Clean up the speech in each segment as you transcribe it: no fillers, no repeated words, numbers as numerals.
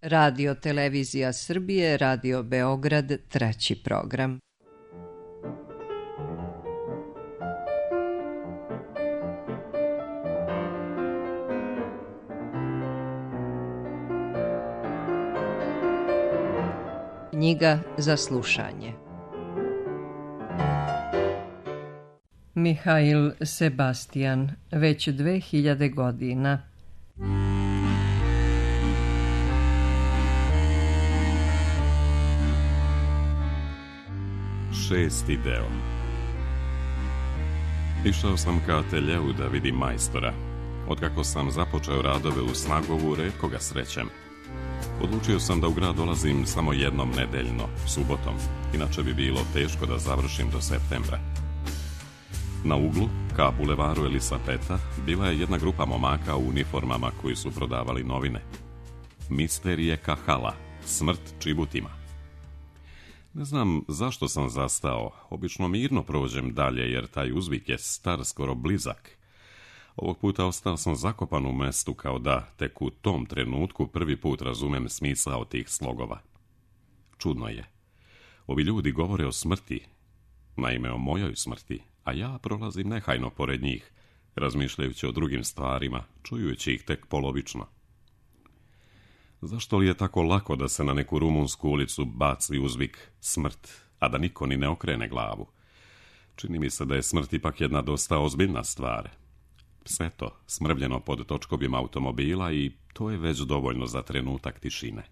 Radio Televizija Srbije, Radio Beograd, 3. program. Knjiga za slušanje. Mihail Sebastian, već 2000 godina. Šesti deo. Išao sam ka ateljeu da vidim majstora. Otkako sam započeo radove u Snagovu, retko ga srećem. Odlučio sam da u grad dolazim samo jednom nedeljno, subotom, inače bi bilo teško da završim do septembra. Na uglu, ka bulevaru Elisapeta, bila je jedna grupa momaka u uniformama koji su prodavali novine. Misterije Kahala, smrt čibutima. Ne znam zašto sam zastao, obično mirno prođem dalje jer taj uzvik je star skoro blizak. Ovog puta ostao sam zakopan u mestu kao da tek u tom trenutku prvi put razumem smisao tih slogova. Čudno je. Ovi ljudi govore o smrti, naime o mojoj smrti, a ja prolazim nehajno pored njih, razmišljajući o drugim stvarima, čujući ih tek polovično. Zašto li je tako lako da se na neku rumunsku ulicu baci uzvik smrt, a da niko ni ne okrene glavu? Čini mi se da je smrt ipak jedna dosta ozbiljna stvar. Sve to smrvljeno pod točkovima automobila i to je već dovoljno za trenutak tišine.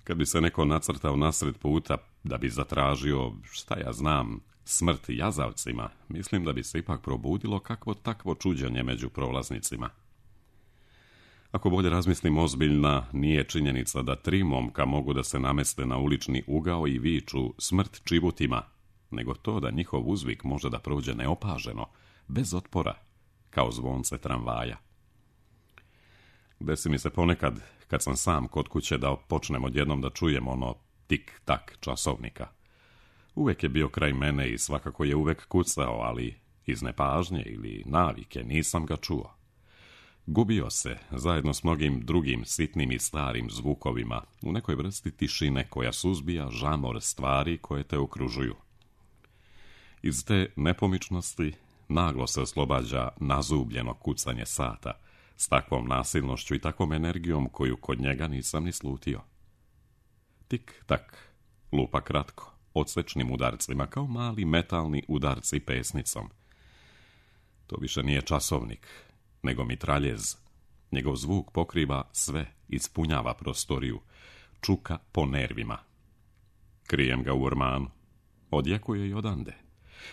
Kad bi se neko nacrtao nasred puta da bi zatražio, šta ja znam, smrt jazavcima, mislim da bi se ipak probudilo kakvo takvo čuđenje među prolaznicima. Ako bolje razmislim, ozbiljna nije činjenica da 3 momka mogu da se nameste na ulični ugao i viču smrt čibutima, nego to da njihov uzvik može da prođe neopaženo, bez otpora, kao zvonce tramvaja. Desi mi se ponekad, kad sam sam kod kuće, da počnem odjednom da čujem ono tik-tak časovnika. Uvek je bio kraj mene i svakako je uvek kucao, ali iz nepažnje ili navike nisam ga čuo. Gubio se, zajedno s mnogim drugim sitnim i starim zvukovima, u nekoj vrsti tišine koja suzbija žamor stvari koje te okružuju. Iz te nepomičnosti naglo se oslobađa nazubljeno kucanje sata, s takvom nasilnošću i takvom energijom koju kod njega nisam ni slutio. Tik-tak, lupa kratko, odsečnim udarcima, kao mali metalni udarci pesnicom. To više nije časovnik, nego mitraljez. Njegov zvuk pokriva sve, ispunjava prostoriju, čuka po nervima. Krijem ga u ormanu, odjekuje i odande.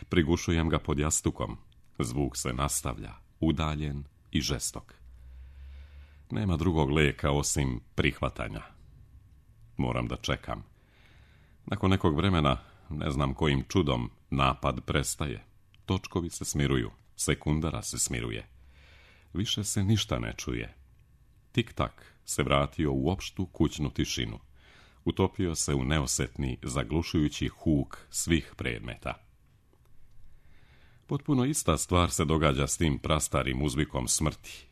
Prigušujem ga pod jastukom, zvuk se nastavlja, udaljen i žestok. Nema drugog lijeka osim prihvatanja. Moram da čekam. Nakon nekog vremena, ne znam kojim čudom, napad prestaje. Točkovi se smiruju, sekundara se smiruje. Više se ništa ne čuje. Tik-tak se vratio u opštu kućnu tišinu. Utopio se u neosetni, zaglušujući huk svih predmeta. Potpuno ista stvar se događa s tim prastarim uzvikom smrti,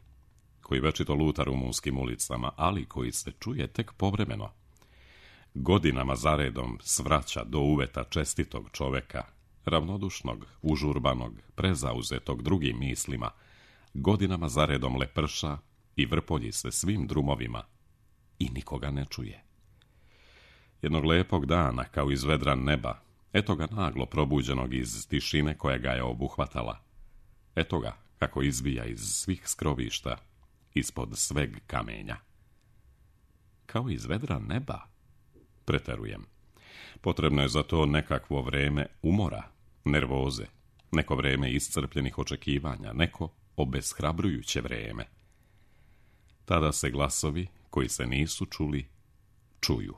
koji večito luta rumunskim ulicama, ali koji se čuje tek povremeno. Godinama zaredom svraća do uveta čestitog čoveka, ravnodušnog, užurbanog, prezauzetog drugim mislima, godinama zaredom leprša i vrpolji se svim drumovima i nikoga ne čuje. Jednog lepog dana, kao iz vedra neba, eto ga naglo probuđenog iz tišine koja ga je obuhvatala. Eto ga kako izbija iz svih skrovišta, ispod sveg kamenja. Kao iz vedra neba, preterujem. Potrebno je za to nekakvo vreme umora, nervoze, neko vreme iscrpljenih očekivanja, neko obeshrabrujuće vreme. Tada se glasovi koji se nisu čuli, čuju.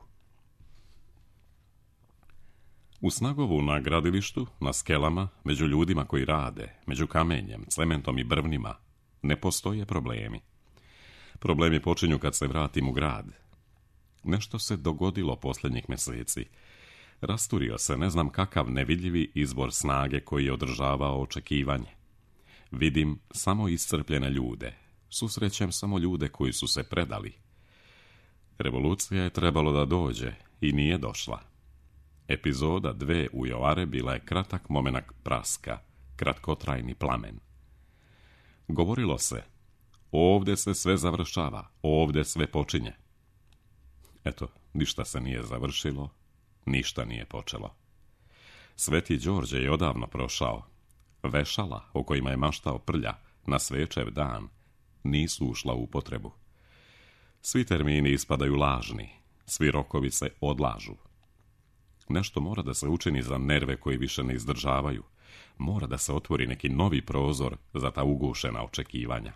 U Snagovu na gradilištu, na skelama, među ljudima koji rade, među kamenjem, cementom i brvnima, ne postoje problemi. Problemi počinju kad se vratim u grad. Nešto se dogodilo posljednjih mjeseci. Rasturio se ne znam kakav nevidljivi izvor snage koji je održavao očekivanje. Vidim samo iscrpljene ljude. Susrećem samo ljude koji su se predali. Revolucija je trebalo da dođe i nije došla. Epizoda 2 u Joare bila je kratak momenak praska, kratkotrajni plamen. Govorilo se, ovdje se sve završava, ovdje sve počinje. Eto, ništa se nije završilo, ništa nije počelo. Sveti Đorđe je odavno prošao. Vešala, o kojima je maštao Prlja, na svečev dan, nisu ušla u upotrebu. Svi termini ispadaju lažni, svi rokovi se odlažu. Nešto mora da se učini za nerve koji više ne izdržavaju. Mora da se otvori neki novi prozor za ta ugušena očekivanja.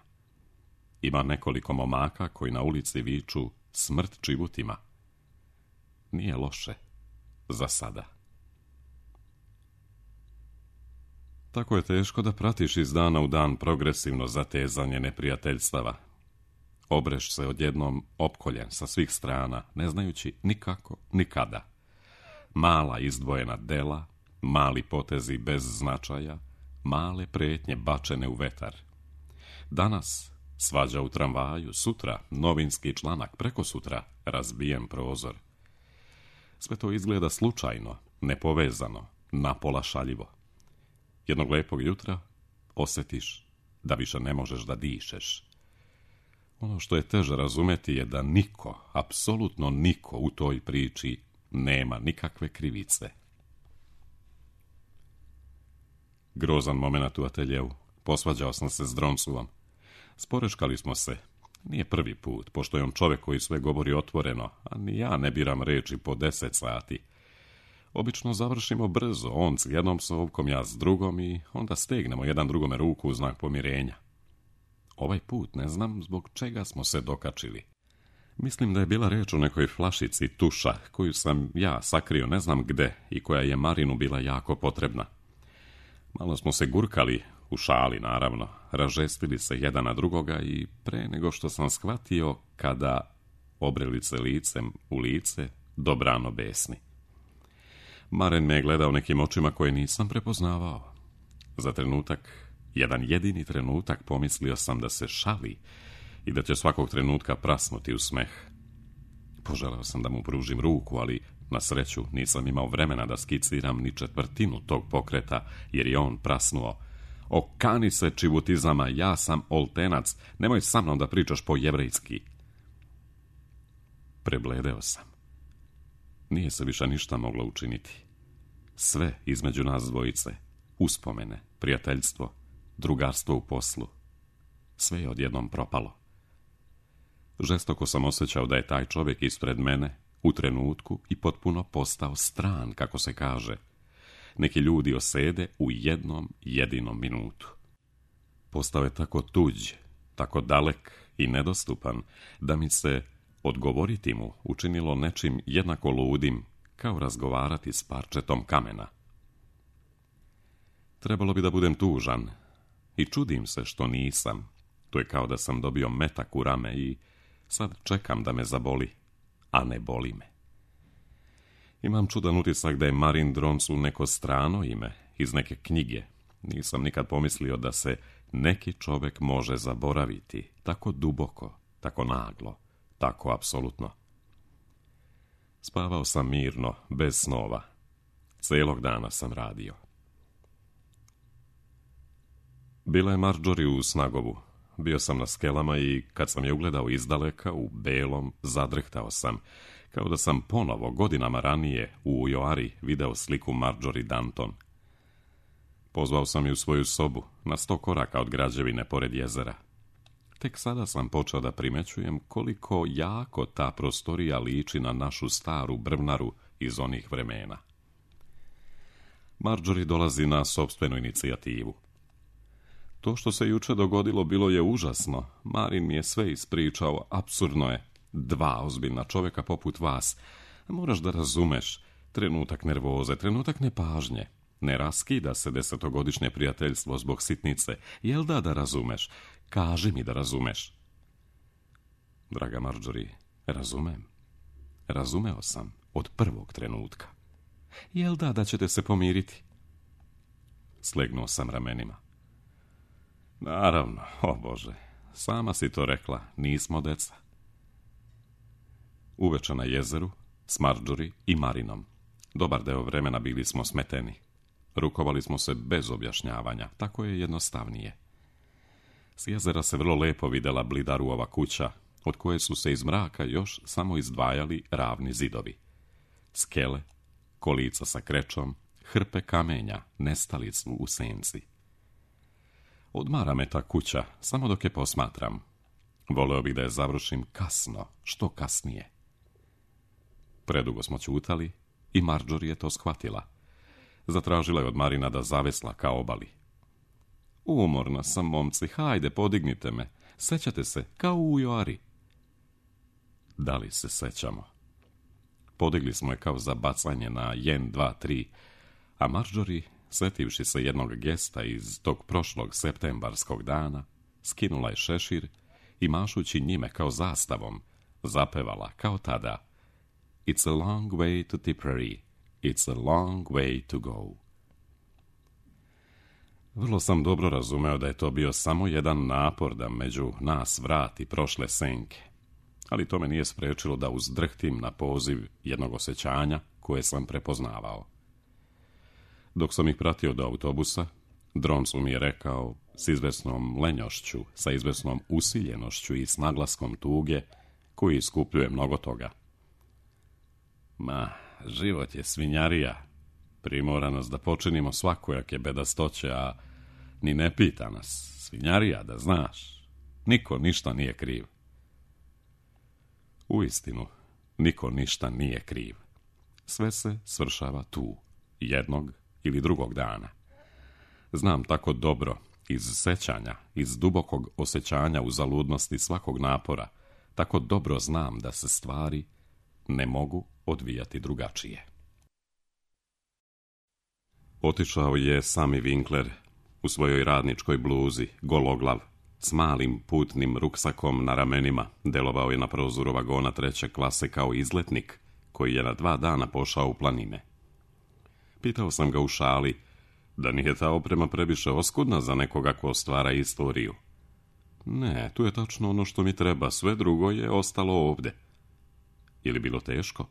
Ima nekoliko momaka koji na ulici viču smrt čibutima. Nije loše, za sada. Tako je teško da pratiš iz dana u dan progresivno zatezanje neprijateljstava. Obreš se odjednom opkoljen sa svih strana, ne znajući nikako, nikada. Mala izdvojena dela, mali potezi bez značaja, male prijetnje bačene u vetar. Danas svađa u tramvaju, sutra novinski članak, prekosutra razbijen prozor. Sve to izgleda slučajno, nepovezano, napola šaljivo. Jednog lepog jutra osjetiš da više ne možeš da dišeš. Ono što je teže razumeti je da niko, apsolutno niko u toj priči nema nikakve krivice. Grozan moment u ateljevu. Posvađao sam se s Droncuvom. Sporeškali smo se. Nije prvi put, pošto je on čovjek koji sve govori otvoreno, a ni ja ne biram reči po 10 sati. Obično završimo brzo, on s jednom sovkom, ja s drugom i onda stegnemo jedan drugome ruku u znak pomirenja. Ovaj put ne znam zbog čega smo se dokačili. Mislim da je bila reč o nekoj flašici tuša, koju sam ja sakrio ne znam gde i koja je Marinu bila jako potrebna. Malo smo se gurkali, u šali naravno, ražestili se jedan na drugoga i pre nego što sam shvatio kada obreli se licem u lice, dobrano besni. Maren me je gledao nekim očima koje nisam prepoznavao. Za trenutak, jedan jedini trenutak, pomislio sam da se šali i da će svakog trenutka prasnuti u smeh. Poželeo sam da mu pružim ruku, ali na sreću nisam imao vremena da skiciram ni četvrtinu tog pokreta, jer je on prasnuo. Okani se čibutizama, ja sam oltenac, nemoj sa mnom da pričaš po jevrejski. Prebledeo sam. Nije se više ništa moglo učiniti. Sve između nas dvojice, uspomene, prijateljstvo, drugarstvo u poslu, sve je odjednom propalo. Žestoko sam osjećao da je taj čovjek ispred mene u trenutku i potpuno postao stran, kako se kaže. Neki ljudi osede u jednom jedinom minutu. Postao je tako tuđ, tako dalek i nedostupan, da mi se odgovoriti mu učinilo nečim jednako ludim, kao razgovarati s parčetom kamena. Trebalo bi da budem tužan i čudim se što nisam. To je kao da sam dobio metak u rame i sad čekam da me zaboli, a ne boli me. Imam čudan utisak da je Marin Droncu neko strano ime iz neke knjige. Nisam nikad pomislio da se neki čovjek može zaboraviti tako duboko, tako naglo, tako apsolutno. Spavao sam mirno, bez snova. Cijelog dana sam radio. Bila je Marjorie u Snagovu. Bio sam na skelama i kad sam je ugledao izdaleka, u belom, zadrhtao sam, kao da sam ponovo, godinama ranije, u Joari video sliku Marjorie Danton. Pozvao sam je u svoju sobu, na 100 koraka od građevine pored jezera. Tek sada sam počeo da primećujem koliko jako ta prostorija liči na našu staru brvnaru iz onih vremena. Marjorie dolazi na sopstvenu inicijativu. To što se juče dogodilo bilo je užasno. Marin mi je sve ispričao, apsurdno je. 2 ozbiljna čovjeka poput vas. Moraš da razumeš. Trenutak nervoze, trenutak nepažnje. Ne raskida se 10-godišnje prijateljstvo zbog sitnice. Jel da razumeš? Kaži mi da razumeš. Draga Marjorie, razumem. Razumeo sam od prvog trenutka. Jel da ćete se pomiriti? Slegnuo sam ramenima. Naravno, o Bože, sama si to rekla, nismo deca. Uveče na jezeru, s Marjorie i Marinom. Dobar deo vremena bili smo smeteni. Rukovali smo se bez objašnjavanja, tako je jednostavnije. S jezera se vrlo lepo vidjela Blidarova kuća, od koje su se iz mraka još samo izdvajali ravni zidovi. Skele, kolica sa krečom, hrpe kamenja nestali su u senci. Odmara me ta kuća, samo dok je posmatram. Voleo bih da je završim kasno, što kasnije. Predugo smo ćutali i Marjorie je to shvatila. Zatražila je od Marina da zavesla ka obali. Umorna sam, momci, hajde, podignite me. Sećate se, kao u Joari. Da li se sećamo? Podigli smo je kao za bacanje na 1, 2, 3, a Marjorie, setivši se jednog gesta iz tog prošlog septembarskog dana, skinula je šešir i mašući njime kao zastavom, zapevala kao tada: It's a long way to Tipperary, it's a long way to go. Vrlo sam dobro razumeo da je to bio samo jedan napor da među nas vrati prošle senke, ali to me nije sprečilo da uzdrhtim na poziv jednog osjećanja koje sam prepoznavao. Dok sam ih pratio do autobusa, Droncu mi je rekao s izvesnom lenjošću, sa izvesnom usiljenošću i s naglaskom tuge, koji iskupljuje mnogo toga: Ma, život je svinjarija. Primora nas da počinimo svakojake bedastoće, a ni ne pita nas. Svinjarija, da znaš. Niko ništa nije kriv. Uistinu, niko ništa nije kriv. Sve se svršava tu, jednog ili drugog dana. Znam tako dobro, iz sećanja, iz dubokog osjećanja uzaludnosti svakog napora, tako dobro znam da se stvari ne mogu odvijati drugačije. Otišao je Sami Winkler u svojoj radničkoj bluzi, gologlav, s malim putnim ruksakom na ramenima. Delovao je na prozoru vagona 3. klase kao izletnik koji je na 2 dana pošao u planine. Pitao sam ga u šali da nije ta oprema previše oskudna za nekoga ko stvara istoriju. Ne, tu je tačno ono što mi treba, sve drugo je ostalo ovde. Je li bilo teško?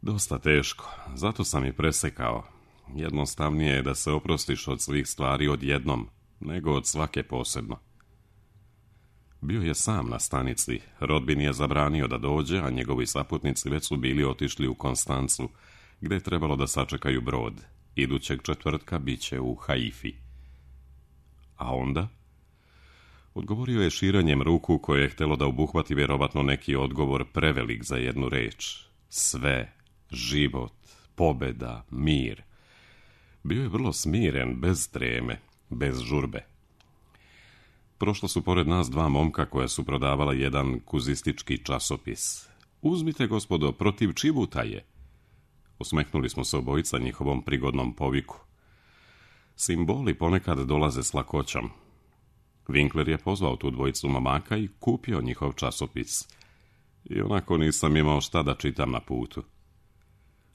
Dosta teško, zato sam i presekao. Jednostavnije je da se oprostiš od svih stvari odjednom, nego od svake posebno. Bio je sam na stanici, rodbin je zabranio da dođe, a njegovi saputnici već su bili otišli u Konstancu, gde je trebalo da sačekaju brod. Idućeg četvrtka bit će u Haifi. A onda? Odgovorio je širanjem ruku koje je htjelo da obuhvati vjerovatno neki odgovor prevelik za jednu reč. Sve, život, pobeda, mir. Bio je vrlo smiren, bez treme, bez žurbe. Prošla su pored nas 2 momka koja su prodavala jedan kuzistički časopis. Uzmite, gospodo, protiv Čibuta je. Osmehnuli smo se obojica njihovom prigodnom poviku. Simboli ponekad dolaze s lakoćom. Winkler je pozvao tu dvojicu momaka i kupio njihov časopis. I onako nisam imao šta da čitam na putu.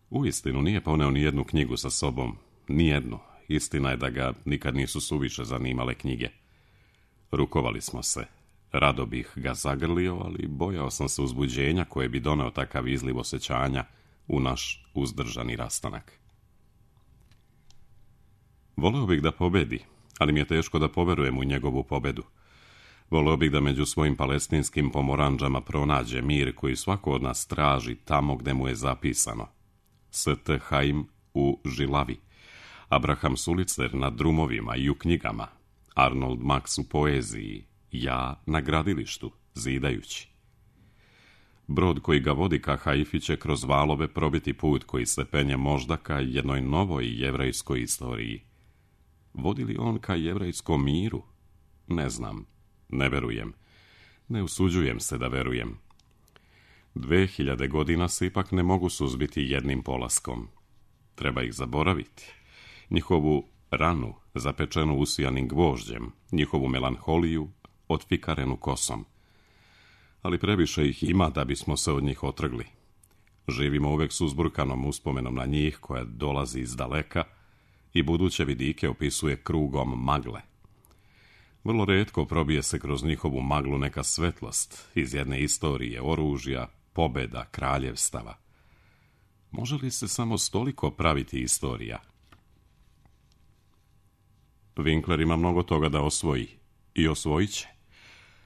Uistinu nije poneo ni jednu knjigu sa sobom, ni jednu. Istina je da ga nikad nisu suviše zanimale knjige. Rukovali smo se. Rado bih ga zagrlio, ali bojao sam se uzbuđenja koje bi doneo takav izliv osjećanja u naš uzdržani rastanak. Voleo bih da pobedi, ali mi je teško da poverujem u njegovu pobedu. Voleo bih da među svojim palestinskim pomoranđama pronađe mir koji svako od nas traži tamo gde mu je zapisano. St. Haim u Žilavi, Abraham Sulicer na drumovima i u knjigama, Arnold Max u poeziji, ja na gradilištu, zidajući. Brod koji ga vodi ka Haifi će kroz valove probiti put koji se penje možda ka jednoj novoj jevrejskoj istoriji. Vodi li on ka jevrejskom miru? Ne znam, ne verujem. Ne usuđujem se da verujem. 2000 godina se ipak ne mogu suzbiti jednim polaskom. Treba ih zaboraviti. Njihovu ranu, zapečenu usijanim gvožđem, njihovu melanholiju, otfikarenu kosom. Ali previše ih ima da bismo se od njih otrgli. Živimo uvek s uzburkanom uspomenom na njih koja dolazi iz daleka i buduće vidike opisuje krugom magle. Vrlo retko probije se kroz njihovu maglu neka svetlost iz jedne istorije, oružja, pobeda, kraljevstava. Može li se samo stoliko praviti istorija? Winkler ima mnogo toga da osvoji i osvojit će,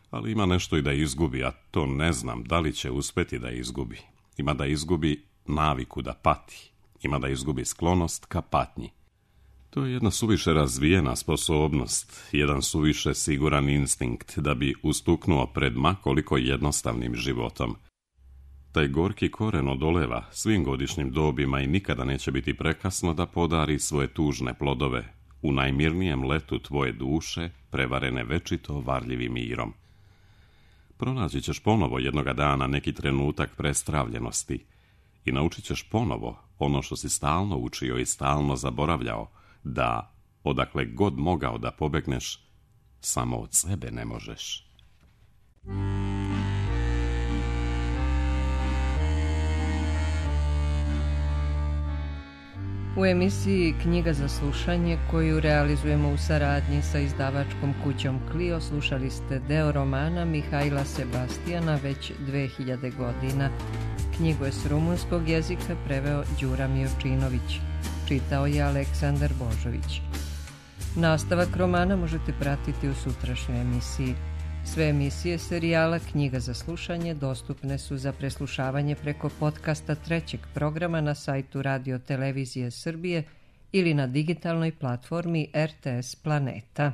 ali ima nešto i da izgubi, a to ne znam da li će uspjeti da izgubi. Ima da izgubi naviku da pati, ima da izgubi sklonost ka patnji. To je jedna suviše razvijena sposobnost, jedan suviše siguran instinkt da bi ustuknuo pred ma koliko jednostavnim životom. Taj gorki koren odoleva svim godišnjim dobima i nikada neće biti prekasno da podari svoje tužne plodove u najmirnijem letu tvoje duše, prevarene večito varljivim mirom. Pronaći ćeš ponovo jednoga dana neki trenutak prestravljenosti i naučit ćeš ponovo ono što si stalno učio i stalno zaboravljao, da odakle god mogao da pobegneš, samo od sebe ne možeš. U emisiji Knjiga za slušanje, koju realizujemo u saradnji sa izdavačkom kućom Clio, slušali ste deo romana Mihajla Sebastijana već 2000 godina. Knjigu je s rumunskog jezika preveo Đura Miočinović. Čitao je Aleksandar Božović. Nastavak romana možete pratiti u sutrašnjoj emisiji. Sve emisije serijala Knjiga za slušanje dostupne su za preslušavanje preko podcasta trećeg programa na sajtu Radio Televizije Srbije ili na digitalnoj platformi RTS Planeta.